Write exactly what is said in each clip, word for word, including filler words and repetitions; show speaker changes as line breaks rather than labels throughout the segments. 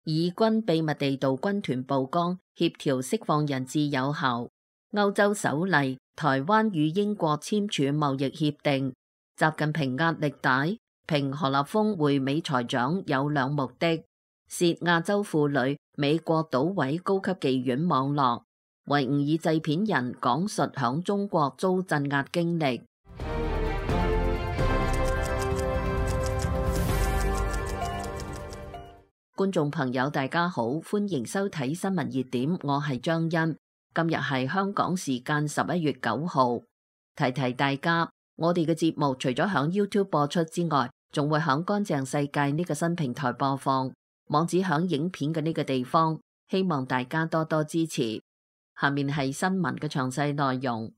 以軍秘密地導軍團曝光，協調釋放人質有效。歐洲首例，台灣與英國簽署貿易協定。習近平壓力大，評何立峰會美財長有兩目的：涉亞洲婦女美國島位高級妓院網絡。維吾爾製片人講述響中國遭鎮壓經歷。觀眾朋友大家好，歡迎收睇新聞熱點，我係張欣。今日係香港時間十一月九號。提提大家，我哋嘅節目除咗響 YouTube 播出之外，仲會響乾淨世界呢個新平台播放，網址響影片嘅呢個地方，希望大家多多支持。下面係新聞嘅詳細內容。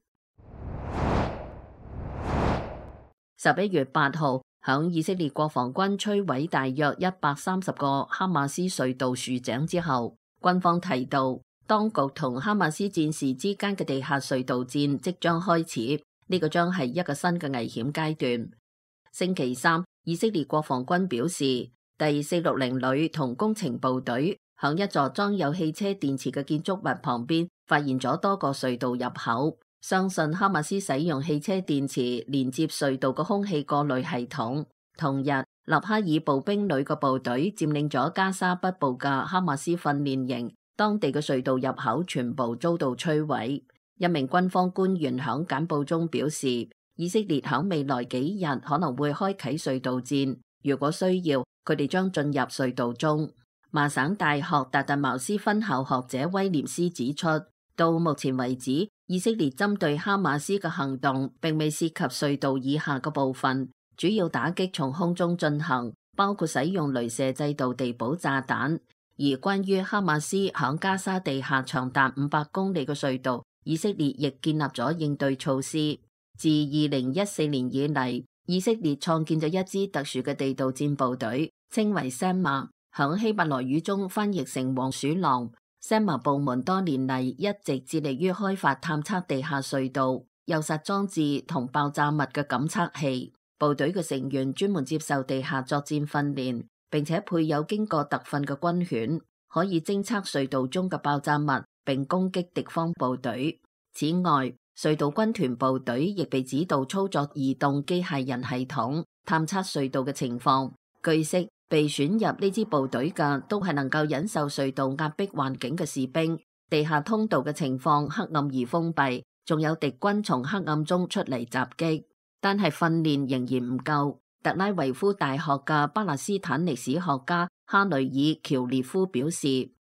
十一月八號，響以色列國防軍摧毀大約一百三十個哈馬斯隧道豎井之後，軍方提到，當局同哈馬斯戰士之間嘅地下隧道戰即將開始，呢個將係一個新嘅危險階段。星期三，以色列國防軍表示，第四六零旅同工程部隊響一座裝有汽車電池嘅建築物旁邊發現咗多個隧道入口，相信哈馬斯使用汽車電池連接隧道嘅空氣過濾系統。同日，納哈爾步兵旅嘅部隊佔領咗加沙北部嘅哈馬斯訓練營，當地嘅隧道入口全部遭到摧毀。一名軍方官員響簡報中表示，以色列響未來幾日可能會開啟隧道戰，如果需要，佢哋將進入隧道中。麻省大學達特茅斯分校學者威廉斯指出，到目前為止，以色列針對哈馬斯嘅行動並未涉及隧道以下嘅部分，主要打擊從空中進行，包括使用雷射制導地堡炸彈。而關於哈馬斯響加沙地下長達五百公里嘅隧道，以色列亦建立咗應對措施。自二零一四年以嚟，以色列創建咗一支特殊嘅地道戰部隊，稱為 SAMA， 響希伯來語中翻譯成黃鼠狼。SAMA 部門多年嚟一直致力於開發探測地下隧道、誘殺裝置同爆炸物嘅感測器。部隊嘅成員專門接受地下作戰訓練，並且配有經過特訓嘅軍犬，可以偵測隧道中嘅爆炸物並攻擊敵方部隊。此外，隧道軍團部隊亦被指導操作移動機械人系統，探測隧道嘅情況。據悉，被選入呢支部隊嘅都係能夠忍受隧道壓迫環境嘅士兵。地下通道嘅情況黑暗而封閉，仲有敵軍從黑暗中出嚟襲擊。但係訓練仍然唔夠。特拉維夫大學嘅巴勒斯坦歷史學家哈雷爾喬列夫表示，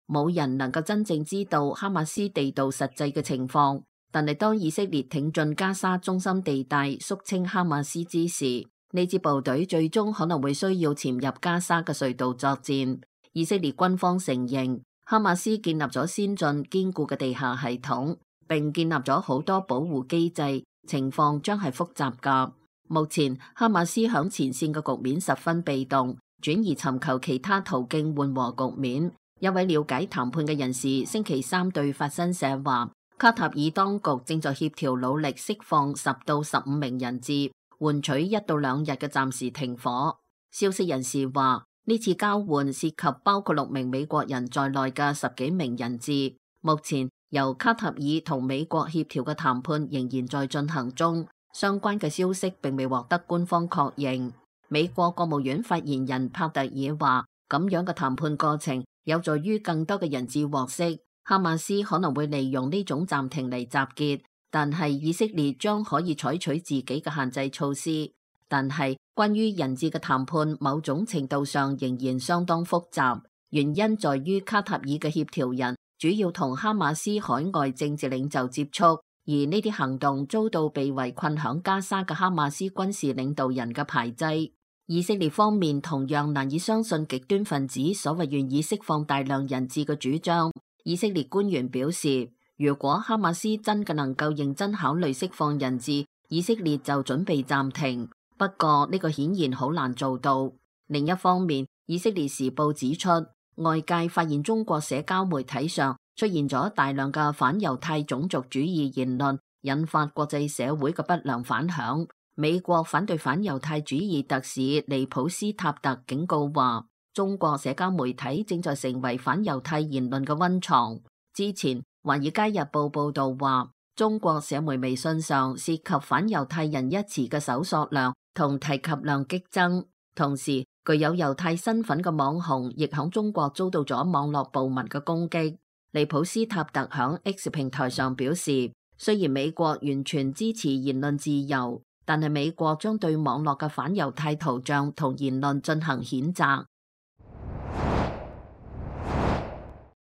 冇人能夠真正知道哈馬斯地道實際嘅情況。但係當以色列挺進加沙中心地帶，肅清哈馬斯之時，呢支部隊最終可能會需要潛入加沙嘅隧道作戰。以色列軍方承認，哈馬斯建立咗先進堅固嘅地下系統，並建立咗好多保護機制，情況將係複雜㗎。目前，哈馬斯響前線嘅局面十分被動，轉而尋求其他途徑緩和局面。一位了解談判嘅人士星期三對法新社話，卡塔爾當局正在協調努力釋放十到十五名人質，換取一到兩日嘅暫時停火。消息人士話，呢次交換涉及包括六名美國人在內嘅十幾名人質。目前由卡塔爾同美國協調嘅談判仍然在進行中，相關嘅消息並未獲得官方確認。美國國務院發言人帕特爾話，咁樣嘅談判過程有助於更多嘅人質獲釋。哈馬斯可能會利用呢種暫停嚟集結，但係以色列將可以採取自己嘅限制措施。但係關於人質嘅談判，某種程度上仍然相當複雜，原因在於卡塔爾嘅協調人主要同哈馬斯海外政治領袖接觸，而呢啲行動遭到被圍困響加沙嘅哈馬斯軍事領導人嘅排擠。以色列方面同樣難以相信極端分子所謂願意釋放大量人質嘅主張。以色列官員表示，如果哈馬斯真嘅能夠認真考慮釋放人質，以色列就準備暫停。不過呢個顯然好難做到。另一方面，以色列時報指出，外界發現中國社交媒體上出現咗大量嘅反猶太種族主義言論，引發國際社會嘅不良反響。美國反對反猶太主義特使尼普斯塔特警告話，中國社交媒體正在成為反猶太言論嘅溫床。之前《華爾街日報》報道話，中國社媒微信上涉及反猶太人一詞嘅搜索量同提及量激增，同時具有猶太身份嘅網紅亦響中國遭到咗網絡暴民嘅攻擊。利普斯塔特響 X 平台上表示，雖然美國完全支持言論自由，但係美國將對網絡嘅反猶太圖像同言論進行譴責。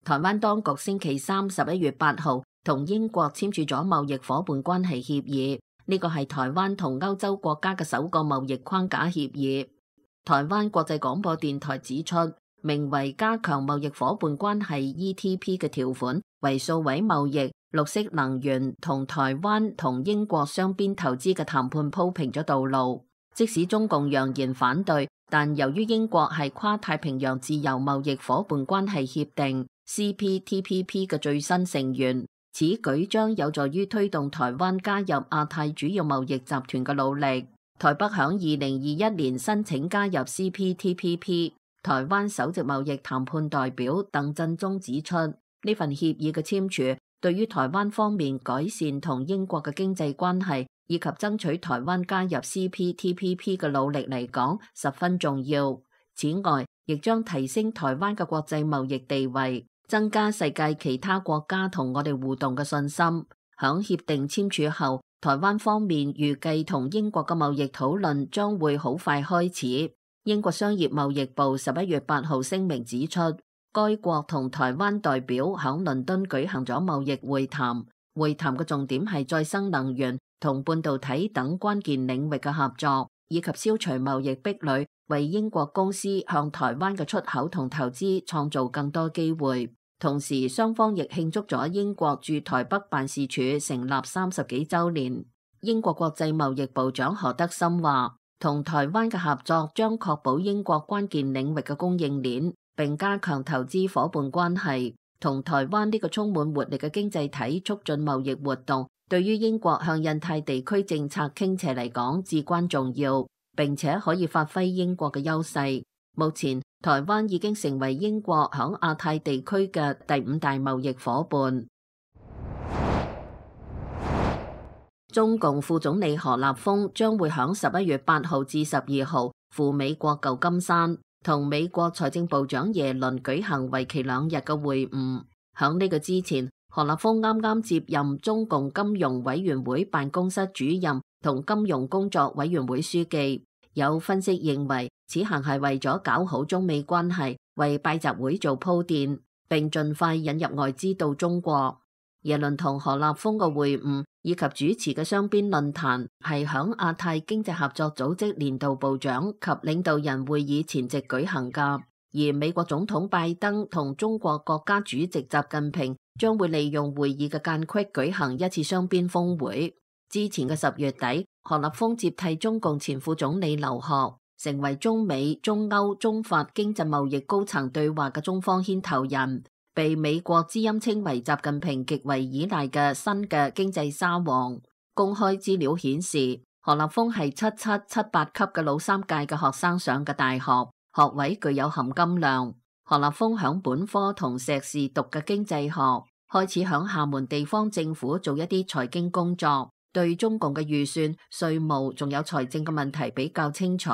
台灣當局星期三十一月八號同英國簽署咗貿易夥伴關係協議，呢個係台灣同歐洲國家嘅首個貿易框架協議。台灣國際廣播電台指出，名為加強貿易夥伴關係 E T P 嘅條款，為數位貿易、綠色能源同台灣同英國雙邊投資嘅談判鋪平咗道路。即使中共揚言反對，但由於英國係跨太平洋自由貿易夥伴關係協定 C P T P P 嘅最新成員，此舉將有助於推動台灣加入亞太主要貿易集團嘅努力。台北響二零二一年申請加入 C P T P P。台灣首席貿易談判代表鄧振中指出，呢份協議嘅簽署對於台灣方面改善同英國嘅經濟關係以及爭取台灣加入 C P T P P 嘅努力嚟講十分重要。此外，亦將提升台灣嘅國際貿易地位，增加世界其他國家同我哋互動嘅信心。響協定簽署後，台灣方面預計同英國嘅貿易討論將會好快開始。英國商業貿易部十一月八號聲明指出，該國同台灣代表響倫敦舉行咗貿易會談，會談嘅重點係再生能源同半導體等關鍵領域嘅合作，以及消除貿易壁壘，為英國公司向台灣嘅出口同投資創造更多機會。同時，雙方亦慶祝咗英國駐台北辦事處成立三十幾週年。英國國際貿易部長何德森話，同台灣嘅合作將確保英國關鍵領域嘅供應鏈，並加強投資夥伴關係。同台灣呢個充滿活力嘅經濟體促進貿易活動，對於英國向印太地區政策傾斜嚟講至關重要，並且可以發揮英國嘅優勢。目前，台灣已經成為英國響亞太地區嘅第五大貿易夥伴。中共副總理何立峰將會響十一月八號至十二號赴美國舊金山，同美國財政部長耶倫舉行為期兩日嘅會晤。響呢個之前，何立峰啱啱接任中共金融委員會辦公室主任同金融工作委員會書記。有分析認為，此行係為咗搞好中美關係，為拜習會做鋪墊，並盡快引入外資到中國。耶倫同何立峰嘅會晤以及主持嘅雙邊論壇係響亞太經濟合作組織年度部長及領導人會議前夕舉行㗎。而美國總統拜登同中國國家主席習近平將會利用會議嘅間隙舉行一次雙邊峰會。之前嘅十月底，何立峰接替中共前副總理劉鶴，成為中美、中歐、中法經濟貿易高層對話嘅中方牽頭人，被美國之音稱為習近平極為依賴嘅新嘅經濟沙皇。公開資料顯示，何立峰係七七、七八級嘅老三屆嘅學生上嘅大學，學位具有含金量。何立峰響本科同碩士讀嘅經濟學，開始響廈門地方政府做一啲財經工作，對中共嘅預算、稅務仲有財政嘅問題比較清楚。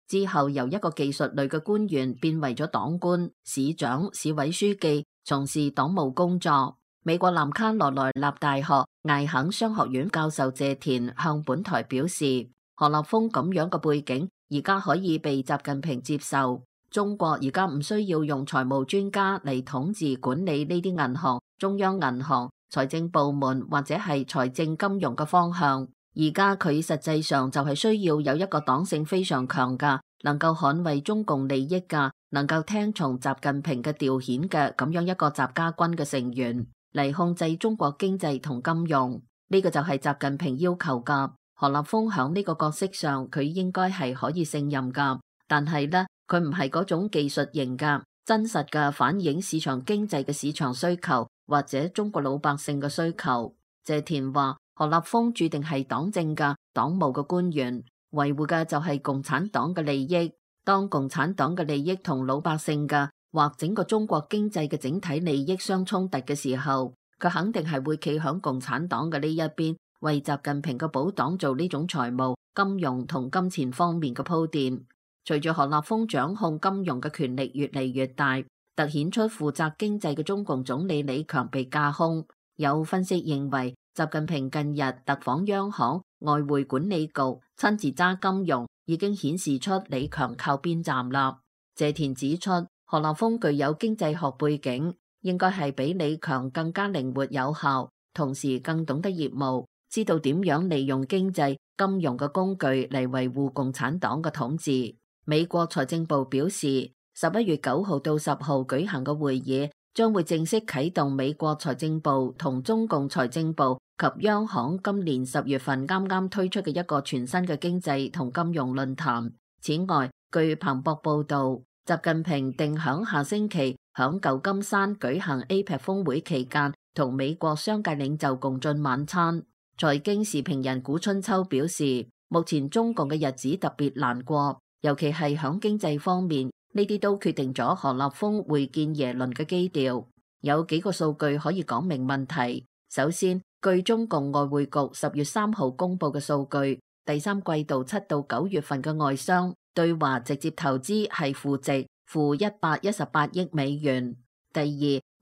之後由一個技術類嘅官員變為咗黨官、市長、市委書記，從事黨務工作。美國南卡羅來納大學艾肯商學院教授謝田向本台表示，何立峰咁樣嘅背景而家可以被習近平接受。中國而家唔需要用財務專家嚟統治管理呢啲銀行、中央銀行、財政部門或者係財政金融嘅方向。而家佢實際上就係需要有一個黨性非常強嘅，能夠捍衛中共利益嘅，能夠聽從習近平嘅調遣嘅咁樣一個習家軍嘅成員嚟控制中國經濟同金融。呢個就係習近平要求噶。何立峰響呢個角色上，佢應該係可以勝任噶。但係呢，佢唔係嗰種技術型噶，真實嘅反映市場經濟嘅市場需求或者中國老百姓嘅需求。謝田話，何立峰注定係黨政嘅黨務嘅官員，維護嘅就係共產黨嘅利益。當共產黨嘅利益同老百姓嘅或整個中國經濟嘅整體利益相衝突嘅時候，佢肯定係會企響共產黨嘅呢一邊，為習近平嘅保黨做呢種財務、金融同金錢方面嘅鋪墊。隨住何立峰掌控金融嘅權力越嚟越大，凸顯出負責經濟嘅中共總理李強被架空。有分析認為，習近平近日特訪央行、外匯管理局，親自揸金融，已經顯示出李強靠邊站啦。謝田指出，何立峰具有經濟學背景，應該係比李強更加靈活有效，同時更懂得業務，知道點樣利用經濟、金融嘅工具嚟維護共產黨嘅統治。美國財政部表示，十一月九號到十號舉行嘅會議將會正式啟動美國財政部同中共財政部及央行今年十月份啱啱推出嘅一個全新嘅經濟同金融論壇。此外，據彭博報道，習近平定響下星期響舊金山舉行 A P E C 峰會期間，同美國商界領袖共進晚餐。財經時評人古春秋表示，目前中共嘅日子特別難過。尤其係響經濟方面，呢啲都決定咗何立峰會見耶倫嘅基調。有幾個數據可以講明問題。首先，據中共外匯局十月三號公布嘅數據，第三季度七到九月份嘅外商對華直接投資係負值，負一百一十八億美元。第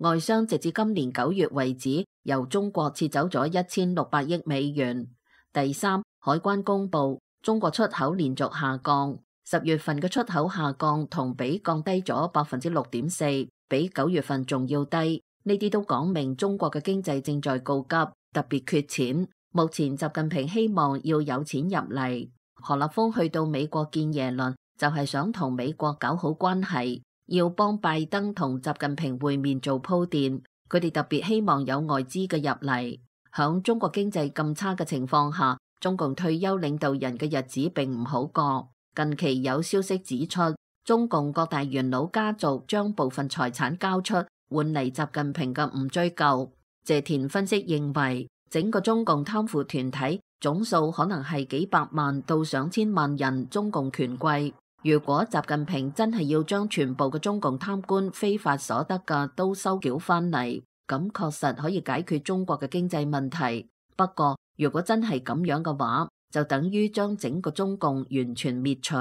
二，外商直至今年九月為止，由中國撤走咗一千六百億美元。第三，海關公布中國出口連續下降。十月份嘅出口下降同比降低咗百分之六點四，比九月份仲要低。呢啲都講明中國嘅經濟正在告急，特別缺錢。目前習近平希望要有錢入嚟。何立峰去到美國見耶倫，就係想同美國搞好關係，要幫拜登同習近平會面做鋪墊。佢哋特別希望有外資嘅入嚟。響中國經濟咁差嘅情況下，中共退休領導人嘅日子並唔好過。近期有消息指出，中共各大元老家族將部分財產交出，換嚟習近平嘅唔追究。謝田分析認為，整個中共貪腐團體總數可能係幾百萬到上千萬人中共權貴。如果習近平真係要將全部嘅中共貪官非法所得嘅都收繳翻嚟，咁確實可以解決中國嘅經濟問題。不過，如果真係咁樣嘅話，就等於將整個中共完全滅除。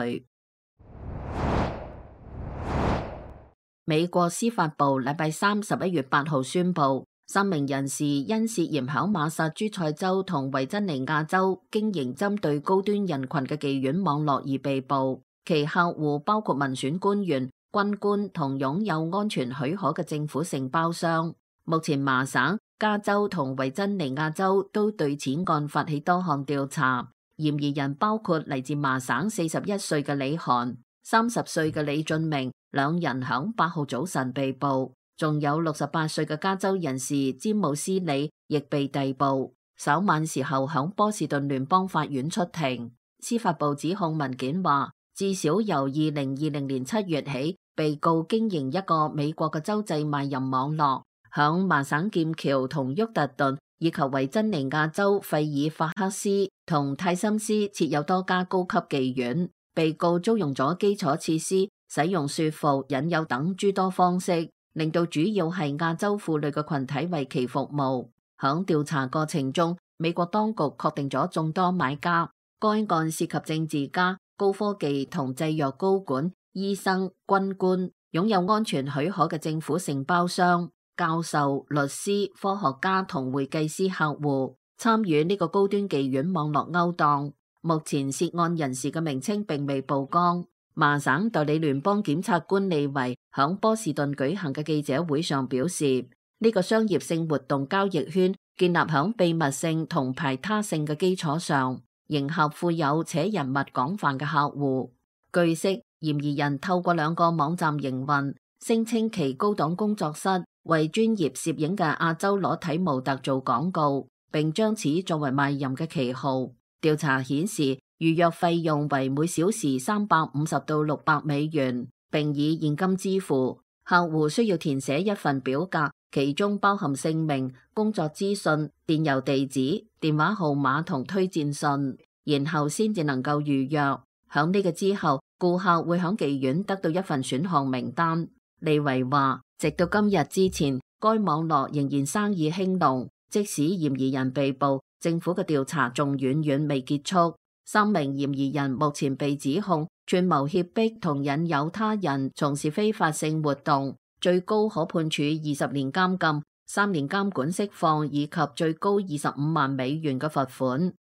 美國司法部禮拜三十一月八號宣布，三名人士因涉嫌響馬薩諸塞州同維珍尼亞州經營針對高端人群嘅妓院網絡而被捕，其客戶包括民選官員、軍官同擁有安全許可嘅政府承包商。目前麻省、加州同維珍尼亞州都對此案發起多項調查。嫌疑人包括嚟自麻省四十一歲嘅李韓、三十歲嘅李俊明，兩人響八號早晨被捕，仲有六十八歲嘅加州人士詹姆斯李亦被逮捕，稍晚時候響波士頓聯邦法院出庭。司法部指控文件話，至少由二零二零年七月起，被告經營一個美國嘅州際賣淫網絡，響麻省劍橋同沃特頓以及維珍尼亞州費爾法克斯同泰森斯設有多家高級妓院。被告租用咗基礎設施，使用說服、引誘等諸多方式，令到主要係亞洲婦女嘅群體為其服務。響調查過程中，美國當局確定咗眾多買家。該案涉及政治家、高科技同製藥高管、醫生、軍官、擁有安全許可嘅政府承包商、教授、律師、科學家同會計師客戶參與呢個高端妓院網絡勾當。目前涉案人士嘅名稱並未曝光。麻省代理聯邦檢察官利維響波士頓舉行嘅記者會上表示，呢個商業性活動交易圈建立響秘密性同排他性嘅基礎上，迎合富有且人脈廣泛嘅客戶。據悉，嫌疑人透過兩個網站營運，聲稱其高檔工作室為專業攝影嘅亞洲裸體模特做廣告，並將此作為賣淫嘅旗號。調查顯示，預約費用為每小時三百五十到六百美元，並以現金支付。客戶需要填寫一份表格，其中包含姓名、工作資訊、電郵地址、電話號碼同推薦信，然後先至能夠預約。響呢個之後，顧客會響妓院得到一份選項名單。利維話，直到今日之前，該網絡仍然生意興隆，即使嫌疑人被捕，政府嘅調查仲遠遠未結束。三名嫌疑人目前被指控串謀脅迫同引誘他人從事非法性活動，最高可判處二十年監禁、三年監管釋放以及最高二十五萬美元嘅罰款。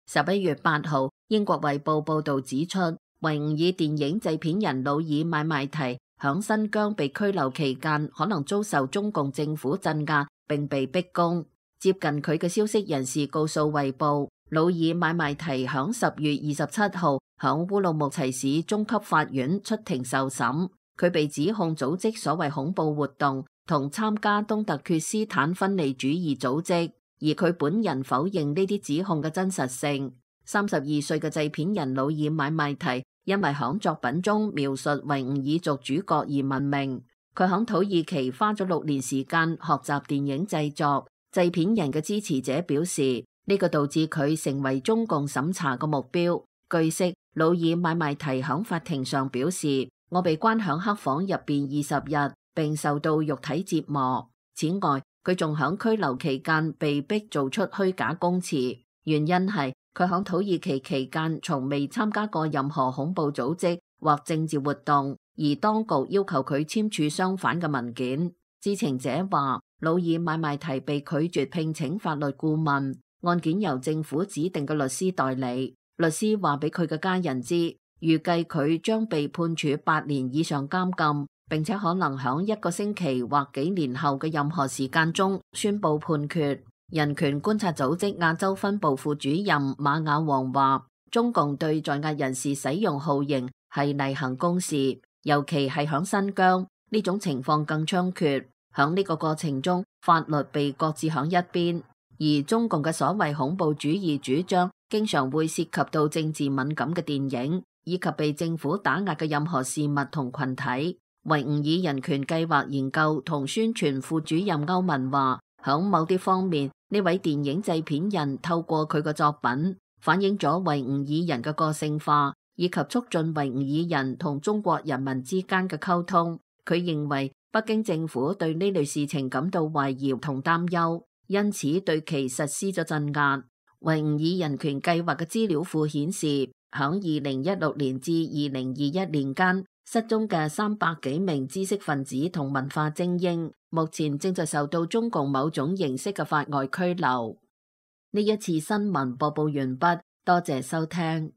十一月八號，英國衛報報道指出，維吾爾電影製片人努爾買賣提響新疆被拘留期間，可能遭受中共政府鎮壓並被逼供。接近佢嘅消息人士告訴衛報，努爾買賣提響十月二十七號響烏魯木齊市中級法院出庭受審。佢被指控組織所謂恐怖活動同參加東突厥斯坦分離主義組織，而佢本人否認呢啲指控嘅真實性。三十二歲嘅製片人努爾買賣提因為響作品中描述維吾爾族主角而聞名。佢響土耳其花咗六年時間學習電影製作。製片人嘅支持者表示，呢個導致佢成為中共審查嘅目標。據悉，努爾買賣提響法庭上表示，我被關響黑房入邊二十日，並受到肉體折磨。此外，佢仲響拘留期間被逼做出虛假供詞，原因係佢響土耳其期間從未參加過任何恐怖組織或政治活動，而當局要求佢簽署相反嘅文件。知情者話，努爾買賣提被拒絕聘請法律顧問，案件由政府指定嘅律師代理。律師話俾佢嘅家人知，預計佢將被判處八年以上監禁，並且可能響一個星期或幾年後嘅任何時間中宣布判決。人權觀察組織亞洲分部副主任馬雅王話，中共對在押人士使用酷刑係例行公事，尤其係響新疆，呢種情況更猖獗。響呢個過程中，法律被擱置響一邊，而中共嘅所謂恐怖主義主張，經常會涉及到政治敏感嘅電影，以及被政府打壓嘅任何事物同群體。維吾爾人權計劃研究同宣傳副主任歐文話，響某啲方面，呢位電影製片人透過佢嘅作品，反映咗維吾爾人嘅個性化，以及促進維吾爾人同中國人民之間嘅溝通。佢認為，北京政府對呢類事情感到懷疑同擔憂，因此對其實施咗鎮壓。維吾爾人權計劃嘅資料庫顯示，響二零一六年至二零二一年間，失蹤嘅三百幾名知識分子同文化精英，目前正在受到中共某種形式嘅法外拘留。呢一次新聞播報完畢，多謝收聽。